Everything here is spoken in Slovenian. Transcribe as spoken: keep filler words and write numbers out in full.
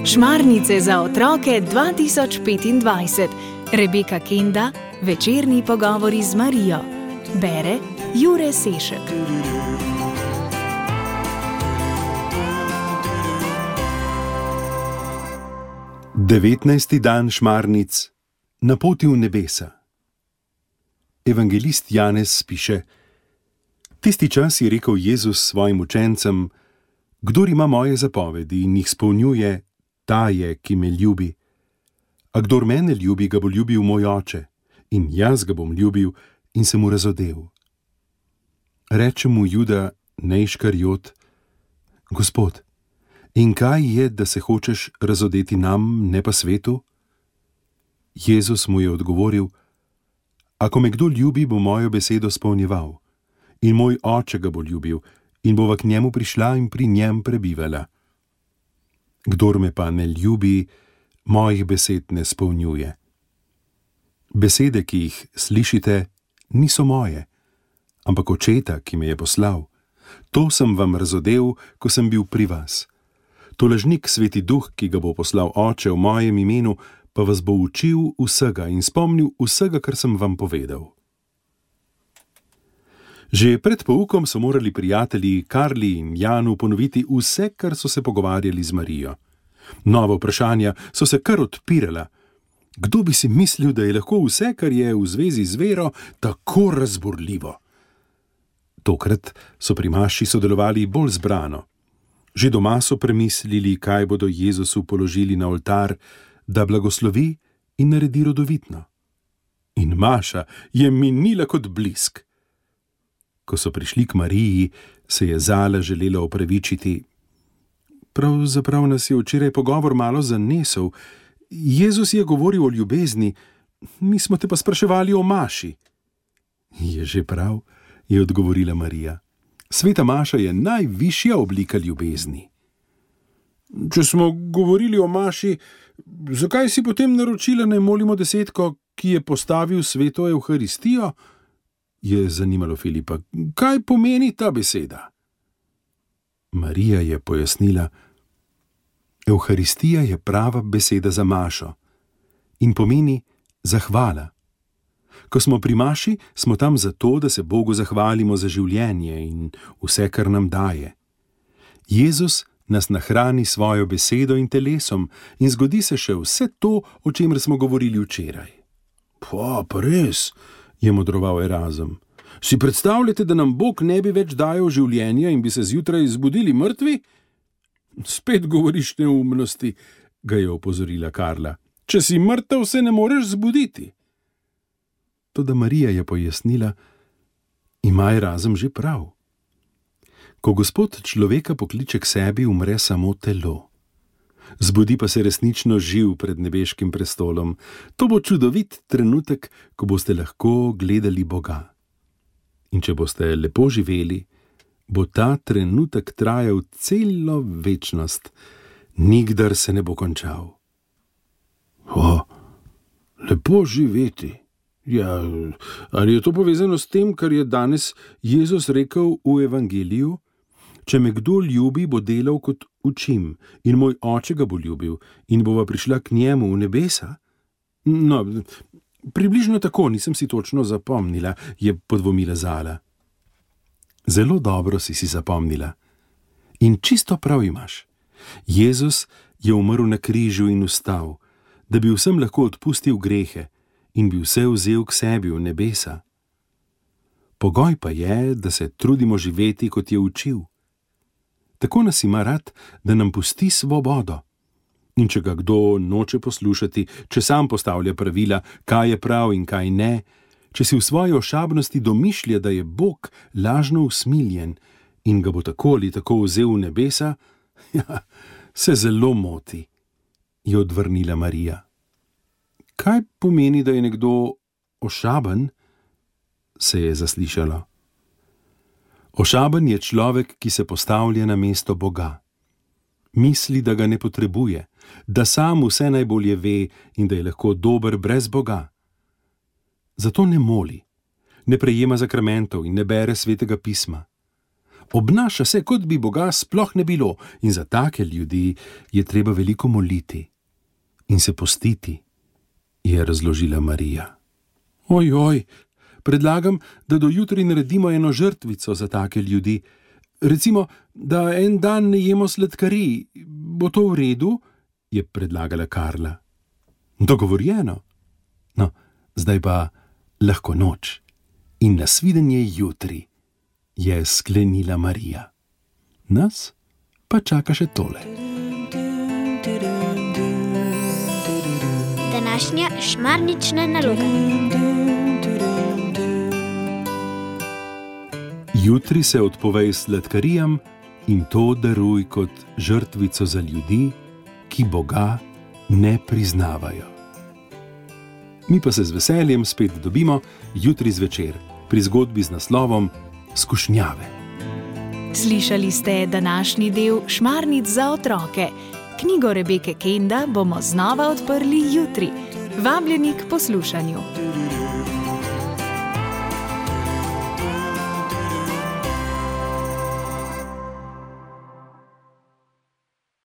Šmarnice za otroke dva tisoč petindvajset. Rebeka Kenda, večerni pogovori z Marijo. Bere Jure Sešek. devetnajsti dan šmarnic na poti v nebesa. Evangelist Janez piše: Tisti čas je rekel Jezus svojim učencem: Kdor ima moje zapovedi in jih spolnjuje, ta je, ki me ljubi. A kdor mene ljubi, ga bo ljubil moj oče, in jaz ga bom ljubil in se mu razodel. Reče mu Juda, ne Iškarijot: Gospod, in kaj je, da se hočeš razodeti nam, ne pa svetu? Jezus mu je odgovoril: Ako me kdo ljubi, bo mojo besedo spolnjeval, in moj oče ga bo ljubil, in bova k njemu prišla in pri njem prebivala. Kdor me pa ne ljubi, mojih besed ne spolnjuje. Besede, ki jih slišite, niso moje, ampak očeta, ki me je poslal. To sem vam razodel, ko sem bil pri vas. To lažnik, Sveti Duh, ki ga bo poslal Oče v mojem imenu, pa vas bo učil vsega in spomnil vsega, kar sem vam povedal. Že pred poukom so morali prijatelji Karli in Janu ponoviti vse, kar so se pogovarjali z Marijo. Nova vprašanja so se kar odpirala. Kdo bi si mislil, da je lahko vse, kar je v zvezi z vero, tako razburljivo? Tokrat so pri maši sodelovali bolj zbrano. Že doma so premislili, kaj bodo Jezusu položili na oltar, da blagoslovi in naredi rodovitno. In maša je minila kot blisk. Ko so prišli k Mariji, se je Zala želela opravičiti. Pravzaprav nas je včeraj pogovor malo zanesel. Jezus je govoril o ljubezni, mi smo te pa spraševali o maši. Je že prav, je odgovorila Marija. Sveta maša je najvišja oblika ljubezni. Če smo govorili o maši, zakaj si potem naročila, naj molimo desetko, ki je postavil sveto Evharistijo? Je zanimalo Filipa. Kaj pomeni ta beseda? Marija je pojasnila: Evharistija je prava beseda za mašo in pomeni zahvala. Ko smo pri maši, smo tam zato, da se Bogu zahvalimo za življenje in vse, kar nam daje. Jezus nas nahrani svojo besedo in telesom in zgodi se še vse to, o čemer smo govorili včeraj. Pa, pa res, je modroval Erazem. Si predstavljate, da nam Bog ne bi več dajal življenja in bi se zjutraj zbudili mrtvi? Spet govoriš neumnosti, ga je opozorila Karla. Če si mrtev, se ne moreš zbuditi. Toda Marija je pojasnila: ima Erazem že prav. Ko Gospod človeka pokliče k sebi, umre samo telo. Zbudi pa se resnično živ pred nebeškim prestolom. To bo čudovit trenutek, ko boste lahko gledali Boga. In če boste lepo živeli, bo ta trenutek trajal celo večnost, nikdar se ne bo končal. O, lepo živeti. Ja, ali je to povezano s tem, kar je danes Jezus rekel v Evangeliju? Če me kdo ljubi, bo delal kot učim, in moj oče ga bo ljubil, in bova prišla k njemu v nebesa? No, približno tako, nisem si točno zapomnila, je podvomila Zala. Zelo dobro si si zapomnila. In čisto prav imaš. Jezus je umrl na križu in vstal, da bi vsem lahko odpustil grehe in bi vse vzel k sebi v nebesa. Pogoj pa je, da se trudimo živeti, kot je učil. Tako nas ima rad, da nam pusti svobodo. In če ga kdo noče poslušati, če sam postavlja pravila, kaj je prav in kaj ne, če si v svoji ošabnosti domišlja, da je Bog lažno usmiljen in ga bo tako ali tako vzel v nebesa, ja, se zelo moti, je odvrnila Marija. Kaj pomeni, da je nekdo ošaben? Se je zaslišalo. Ošaben je človek, ki se postavlja na mesto Boga. Misli, da ga ne potrebuje, da sam vse najbolje ve in da je lahko dober brez Boga. Zato ne moli, ne prejema zakramentov in ne bere svetega pisma. Obnaša se, kot bi Boga sploh ne bilo, in za take ljudi je treba veliko moliti in se postiti, je razložila Marija. Oj, oj, predlagam, da do jutri naredimo eno žrtvico za take ljudi. Recimo, da en dan ne jemo sladkarij. Bo to v redu? Je predlagala Karla. Dogovorjeno. No, zdaj pa lahko noč in nasvidenje jutri, je sklenila Marija. Nas pa čaka še tole. Današnja šmarnična naloga. Jutri se odpovej sladkarijam in to daruj kot žrtvico za ljudi, ki Boga ne priznavajo. Mi pa se z veseljem spet dobimo jutri zvečer pri zgodbi z naslovom Skušnjave. Slišali ste današnji del Šmarnic za otroke. Knjigo Rebeke Kenda bomo znova odprli jutri. Vabljeni k poslušanju.